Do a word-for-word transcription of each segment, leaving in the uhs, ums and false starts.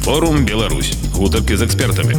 Форум Беларусь. Гутарки з экспертамі.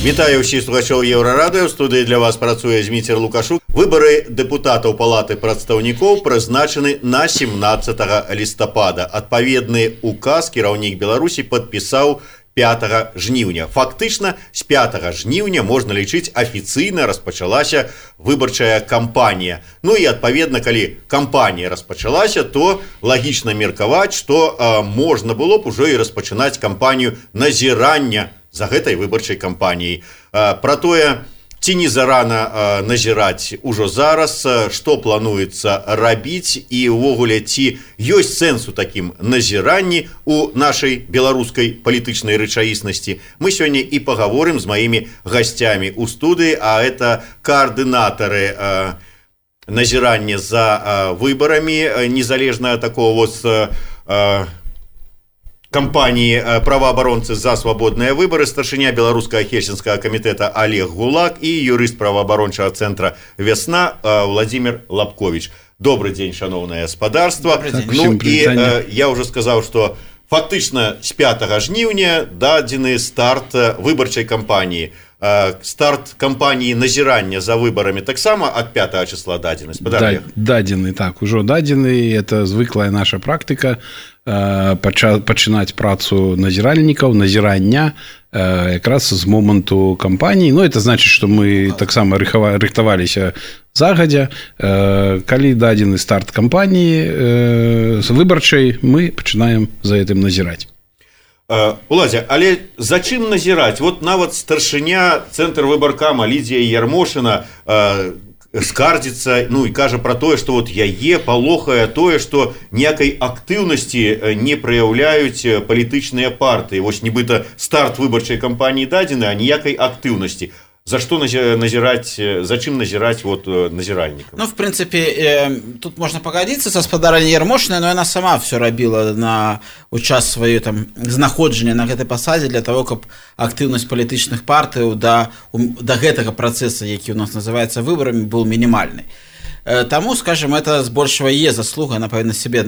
Вітаю ўсіх слухачоў Еўрарадыё. В студыі для вас працуе Зміцер Лукашук. Выбары дэпутатаў Палаты прадстаўнікоў прызначаны на семнаццатага лістапада. Адпаведны указ кіраўнік Беларусі падпісаў пятага жніўня. Фактычна, з пятага жніўня можна лічыць афіцыйна распачалася выбарчая кампанія. Ну і адпаведна, калі кампанія распачалася, то лагічна меркаваць, што а, можна было б ужо і распачынаць кампанію назірання за гэтай выбарчай кампаніяй. А, пра тое, ці не зарана а, назіраць ужо зараз, што плануецца рабіць і ўвогуле ці ёсць сэнс у такім назіранні у нашай беларускай палітычнай рэчаіснасці. Мы сёння і пагаворым з маімі гасцямі ў студыі, а это коаардынатары а, назірання за а, выбарамі, незалежна ад такого вот а, кампании правоабаронцы за свободные выборы, старшыня беларускага хельсінскага камітэта Олег Гулак и юрыст правоабарончага центра «Весна» Владимир Лапкович. Добрый день, шановное господарство. Ну и э, я уже сказал, что фактично с пятага жніўня дадзены старт выбарчай кампании. Э, старт кампании назірання за выборами таксама от пятага числа дадзены. Да, дадзены, так, ужо дадзены. Это звыклая наша практика. Пачынаць працу назіральнікаў, назірання якраз з моманту кампаніі. Ну, это значит, што мы таксама рыхтаваліся загадзя. Калі дадзены старт кампаніі выбарчай, мы пачынаем за гэтым назіраць. Уладзя, але за чым назіраць? Вот нават старшыня цэнтр выбаркама Лідія Ярмошына скардзіцца, ну і кажа пра тое, што вот яе палохае тое, што ніякай актыўнасці не праяўляюць палітычныя партыі. Вось нібыта старт выбарчай кампаніі дадзены, а ніякай актыўнасці. За што назіраць, за чым назіраць вот назіральнікам? Ну, в принципе, э, тут можно погодиться со спадарней Ярмошиной, но она сама все робила на у час свое там знаходжання на гэтай пасадзе для того, каб актыўнасць палітычных партый до, до гэтага процесса, які у нас называется выборами, был минимальный. Э, тому, скажем, это збольшага е заслуга, она павінна себе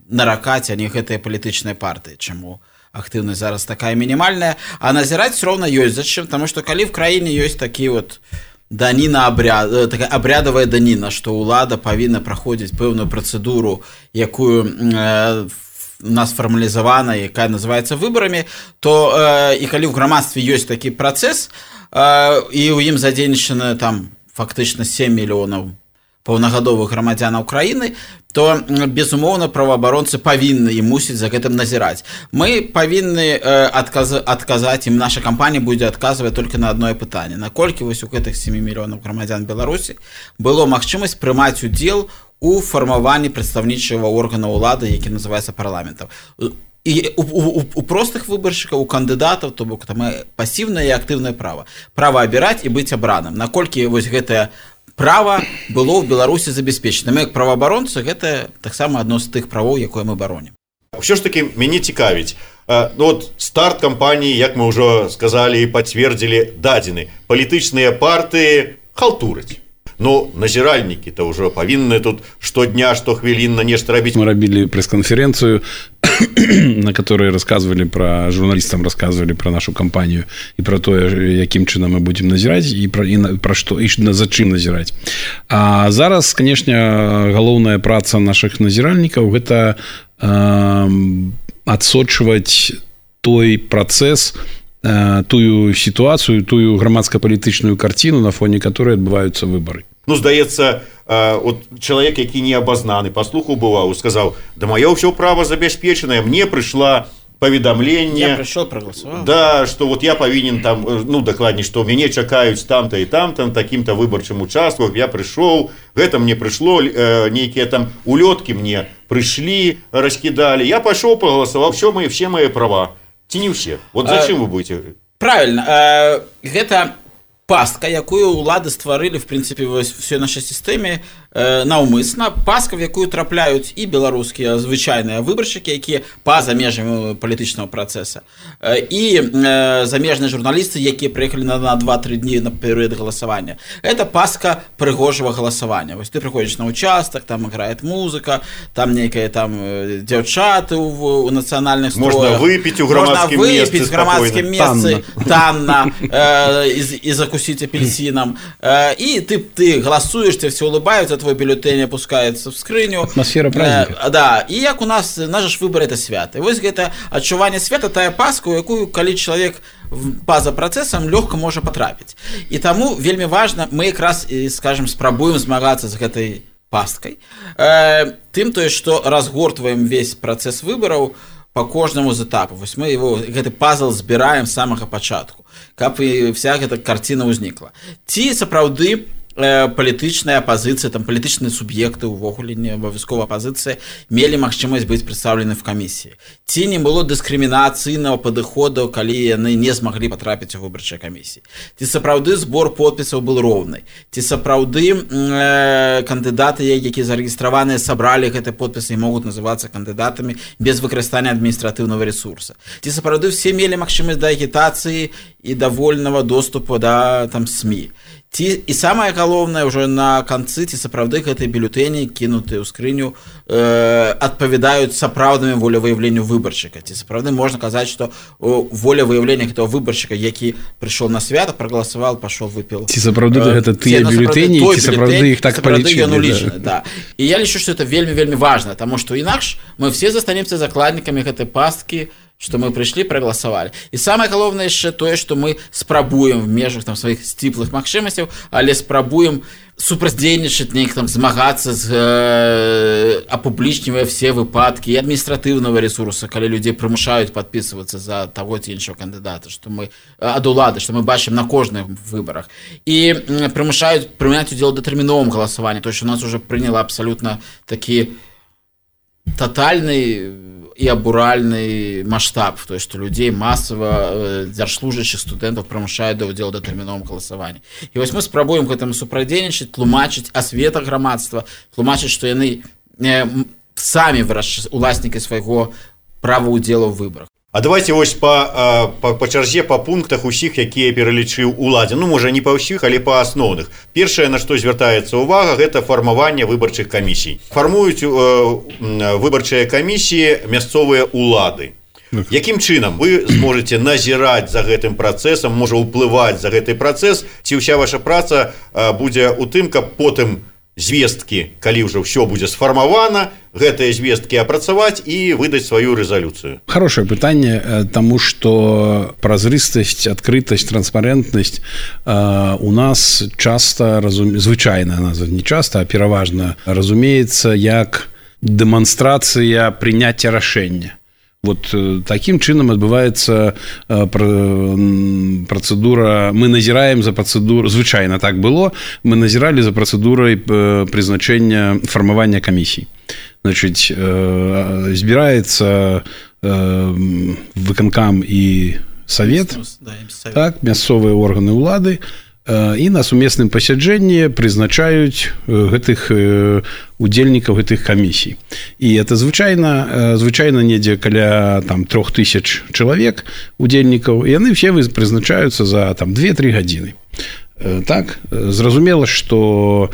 наракаць, а не гэтыя палітычныя партыі. Чаму актыўнасць зараз такая минимальная, а назіраць все равно ёсць зачем, потому что калі в краіне ёсць такие вот даніна абряд, такая абрядовая даніна, что ўлада павінна праходзіць пэўную працэдуру, якую э, у нас фармалізавана, якая называется выборами, то э, і калі в грамадстве ёсць такі працэс, э, і ў ім задзейнічана там фактычна сем мільёнаў паўнагадовых грамадзянаў краіны, то, безумоўна, праваабаронцы павінны і мусіць за гэтым назіраць. Мы павінны э, адказ, адказаць, і наша кампанія будзе адказваць только на одно пытанне. Наколькі вось у гэтых сем мільёнаў грамадзян Беларусі было магчымасць прымаць удзел у фармаванні прадстаўнічага органа ўлады, які называецца парламентам. І у, у, у простых выбаршчыкаў, у кандыдатаў, то бок там пасіўнае і актыўнае права. Права абіраць і быць абраным. Наколькі вось гэтае права было ў Беларусі забяспечана. Мы, як праваабаронцы, гэта таксама адно з тых правоў, якое мы баронім. Ўсё ж такі мяне цікавіць. Ну, вот старт кампаніі, як мы ўжо сказалі і пацвердзілі, дадзены. Палітычныя партыі халтураць. Ну, назіральнікі-то ўжо павінны тут штодня, штохвілінна нешта рабіць. Мы рабілі прэс-канферэнцыю, на которой рассказывали про журналистам, рассказывали про нашу кампанию и про то, яким чынам мы будем назирать и про, и про что, и за чым назирать. А зараз, конечно, галоўная праца наших назиральников это э, адсочваць той процесс, э, тую ситуацию, тую грамадска-палітычную картину, на фоне которой отбываются выборы. Ну, здаецца, вот чалавек, які не абазнаны, паслухаў бываў, сказаў: да маё ўсё права забяспечанае, мне прыйшла паведамленне, я прыйшоў, прагаласаваў. Да, што вот я павінен там, ну, дакладней, што мяне чакаюць там-то і там-то, такім-то выбарчым участку, я прыйшоў, гэта мне прыйшло, э, нейкія там улёткі мне прыйшлі, раскідалі, я пайшоў, прагаласаваў, все мои, все мои права. Ці не ўсе? Вот зачем вы будете? Правильно, э, гэта пастка, якую ўлады стварылі, в прынцыпе, вось всёй нашай сістэме, э, наўмысна паска, в якую трапляюць і беларускія звычайныя выбаршчыкі, якія па-за межамі палітычнага працэса, э, і э, замежныя журналісты, якія прыехалі на, на два-тры дні на перыяд галасавання. Это паска прыгожага галасавання. Вось ты прыходзіш на участак, там играет музыка, там нейкія там дзяўчаты ў, у нацыянальных строях. Можна выпіць у грамадскім месцы. Можна выпіць у грамадскім месцы танна э, і, і закусіць апельсинам. Э, і ты, ты галасуеш, тебе все улыбаются, твой бюллетень опускается в скрыню. Атмосфера праздника. Э, да, и як у нас, наш выбор это свято. И вот это адчуванне свята, тая паска, у якую, калі чалавек па-за працэсам лёгка можа патрапіць. І таму вельмі важна, мы якраз, скажем, спрабуем змагацца з гэтай пасткай. Э, тым тое, што разгортваем весь працэс выбараў по кожнаму з этапу. Вось мы его, гэты пазл збіраем з самага пачатку, каб і вся гэта карціна ўзнікла. Ці сапраўды палітычная апазіцыя, там палітычныя суб'екты, увогуле не абавязкова апазіцыя, мелі магчымасць быць прадстаўлены в камісіі. Ці не было дыскрымінацыйнага падыходу, калі яны не змаглі патрапіць у выбарчыя камісіі. Ці сапраўды збор подпісаў быў роўны. Ці сапраўды э, кандыдаты, якія зарэгістраваныя, сабралі гэты подпісы і могуць называцца кандыдатамі без выкарыстання адміністратыўнага ресурса. Ці сапраўды все мелі магчымасць да агітацыі і да вольнага доступу да там СМІ. Ці, і самае галоўнае ўжо на канцы, ці сапраўды гэтыя бюллетэні, кінутыя ў скрыню, э, адпавядаюць сапраўднаму волевыяўленню выбаршчыка. Ці сапраўды можна казаць, што волевыяўленне гэтага выбаршчыка, які прыйшоў на свята, прагаласаваў, пашоў, выпіў. Ці сапраўды э, гэта тыя бюллетэні, ці сапраўды іх так палічылі. Да. І я лічу, што это вельмі-вельмі важна, таму што інакш мы все застанемся закладнікамі гэтай пасткі, што мы прыйшлі, прагаласавалі. І самае галоўнае яшчэ тое, што мы спрабуем в межах там сваіх сціплых магчымасцяў, але спрабуем супрацьдзейнічаць, неяк там змагацца з э, апублічнівая все выпадкі і адміністратыўнага ресурса, калі людзей прымушаюць падпісвацца за таго ці іншого кандыдата, што мы ад улады, што мы бачым на кожных выбарах. І э, прымушаюць прыняць удзел у датэрміновым галасаванні, то што у нас уже прыняла абсалютна такі тотальны і абуральны маштаб, то есть, што людзей масава дзяржслужачых студэнтаў прымушаюць да ўдзелу да тэрміновым галасаванні. І вось мы спрабуем гэтаму супрацьдзейнічаць, тлумачыць асвета грамадства, тлумачыць, што яны э, самі вырашчаць уласнікі свайго права ўдзелу ў выбарах. А давайте вось па, па, па чарзе, па пунктах усіх, якія пералічыў уладзе. Ну, можа, не па ўсіх, але па асноўных. Першае, на што звяртаецца ўвага, гэта фармаванне выбарчых камісій. Фармуюць э, выбарчыя камісіі мясцовыя улады. Якім чынам вы зможаце назіраць за гэтым працэсам, можа ўплываць за гэты працэс, ці ўся ваша праца э, будзе ў тым, каб потым звесткі, калі ўжо ўсё будзе сфармавана, гэтыя звесткі апрацаваць і выдаць сваю рэзалюцыю? Хорошее пытанне, таму што празрыстасць, адкрытасць, транспарентнасць э, у нас часта, разум... звычайна, не часта, а пераважна разумеецца як дэманстрацыя прыняцця рашэння. Вот таким чынам адбываецца працэдура, мы назіраем за працэдуру, звычайна так было, мы назіралі за працэдурай прызначэння фармавання камісій. Значыць, збіраецца выканкам і савет, так, мясцовыя органы ўлады, і на сумесным пасяджэнні прызначаюць гэтых удзельнікаў гэтых камісій. І это звычайна звычайна недзе каля там трох тысяч чалавек удзельнікаў, і яны все прызначаюцца за там две-тры гадзіны. Так, зразумела, што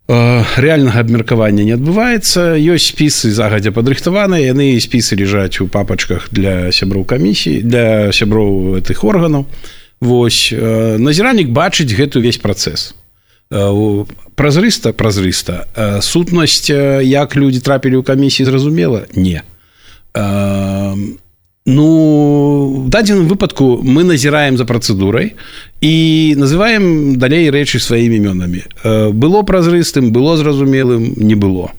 рэальнага абмеркавання не адбываецца, ёсць спісы загадзя падрыхтаваныя, яны спісы ляжаць у папачках для сяброў камісій, для сяброў гэтых органаў. Вось, назіраннік бачыць гэты ўвесь працэс. Празрыста, празрыста. Сутнасць, як людзі трапілі ў камісіі, зразумела? Не. Ну, в дадзеным выпадку мы назіраем за працэдурай і называем далей рэчы сваімі імёнамі. Было празрыстым, было зразумелым, не было.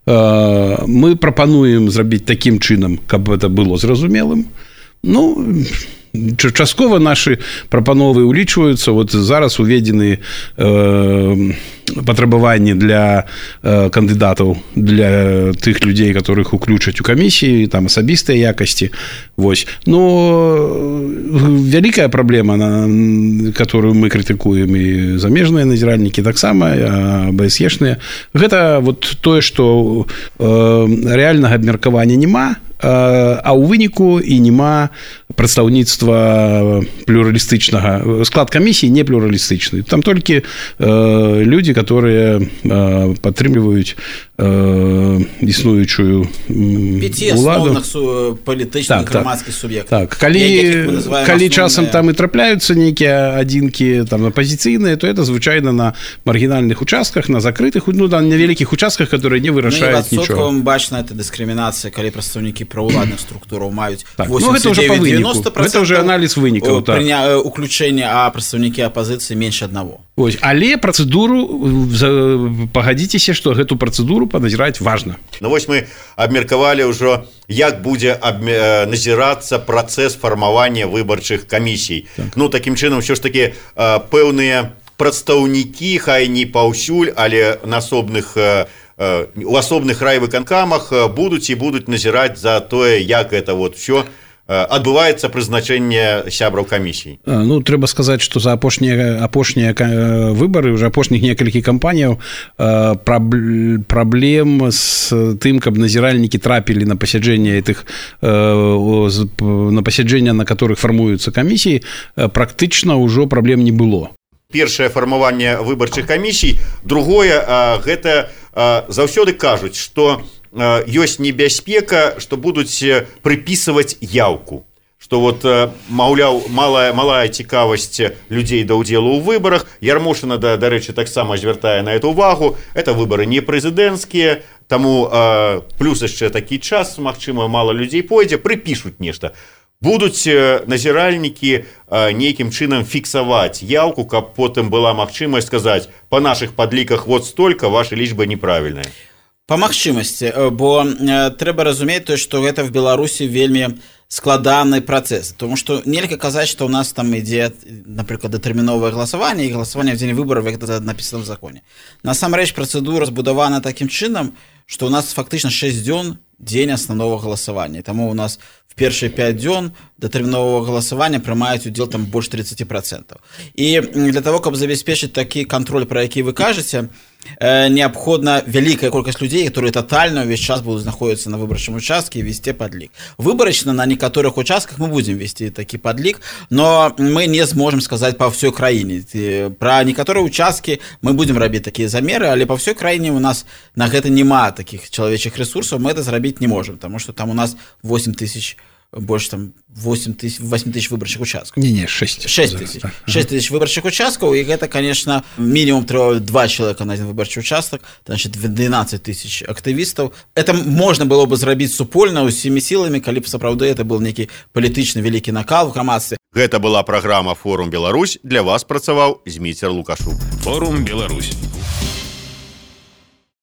Мы прапануем зрабіць такім чынам, каб гэта было зразумелым. Ну, часткова нашы прапановы ўлічваюцца. Вот зараз уведзены э, патрабаванні для э, кандыдатаў, для тых людзей, которых уключаць у камісіі, там асабістыя якасці. Вось. Но вялікая праблема, на которую мы крытыкуем, і замежныя назіральнікі таксама, АБСЕшныя, гэта вот тое, што э, рэальнага абмеркавання няма, а ў выніку і няма прадстаўніцтва плюралістычнага. Склад камісіі не плюралістычны. Там толькі э, людзі, которые э, падтрымліваюць э, існуючую пяці асноўных палітычных грамадскіх суб'ектаў. Так, калі, калі часам там і трапляюцца нейкія адзінкі там апазіцыйныя, то это звычайна на маргінальных участках, на закрытых, ну, на невялікіх участках, которые не вырашаюць нічога. Ну, бачна, это дыскрымінацыя, калі прадстаўнікі правоўладных структураў маюць так, восемьдесят девять девяносто процентов. Это уже анализ вынікаў. Так. Прыня... Уключэнне, а прадстаўнікі апазіцыі менш аднаго. Ось, але працэдуру, пагадзіцеся, што гэту працэдуру паназіраць важна. Ну вось мы абмеркавалі ўжо, як будзе абме... назірацца працэс фармавання выбарчых камісій. Так. Ну, такім чынам, ўсё ж такі пэўныя прадстаўнікі, хай не паўсюль, але на асобных у асобных райвыканкамах будуць і будуць назіраць за тое, як это вот все адбываецца прызначэнне сябраў камісій. Ну, трэба сказаць, што за апошнія апошнія выбары, уже апошніх некалькі кампаніяў праблем з тым, каб назіральнікі трапілі на пасяджэнне этих на пасяджэння, на которых фармуюцца камісіі, практычна ўжо праблем не было. Першае фармаванне выбарчых камісій, другое, гэта заўсёды кажуць, што ёсць небяспека, што будуць прыпісваць яўку, што вот, маўляў, малая, малая цікавасць людзей да ўдзелу ў выбарах. Ярмошына, да, дарэчы, таксама звяртае на эту увагу. Это выбары не прэзідэнцкія, таму плюс яшчэ такі час, магчыма, мала людзей пойдзе, прыпішуць нешта. Будуць назіральнікі нейкім чынам фіксаваць яўку, каб потым была магчымасць сказаць, па нашых падліках вот столько, ваша лічба неправільная. Па магчымасці, бо трэба разумець то, што гэта в Беларусі вельмі складаны працэс, тому што нельга казаць, што ў нас там ідзе, напрыклад, датэрміновае галасаванне і галасаванне в дзень выбараў, як гэта напісана в законе. Насамрэч працэдура збудавана такім чынам, што ў нас фактычна шэсць дзён дзень асноўнага галасавання. Таму ў нас в першыя пяць дзён датэрміновага галасавання прымаюць удзел там больш тридцать процентов. І для того, каб забяспечыць такі кантроль, пра які вы кажаце, неабходна вялікая колькасць людзей, которые тотальна ўвесь час будуць знаходзіцца на выбарчым участке і весці падлік. Выбарачна на некаторых участках мы будзем весці такі падлік, но мы не зможам сказаць па ўсёй краіне. Пра некаторыя участкі мы будзем рабіць такія замеры, але па ўсёй краіне у нас на гэта няма такіх чалавечых ресурсаў, мы это зрабіць не можам, таму што там у нас восемь тысяч, больше там восемь тысяч выбарчых участкаў. Не, не, шесть. шесть тысяч. шесть тысяч выбарчых участкаў, і гэта, конечно, мінімум трэба два чалавека на один выбарчы участак, значит, двенадцать тысяч актывістаў. Это можна было бы зрабіць супольна усімі сіламі, калі б сапраўды это был нейкі палітычны вялікі накал в грамадстве. Гэта была праграма «Форум Беларусь». Для вас працаваў Зміцер Лукашук. Форум Беларусь.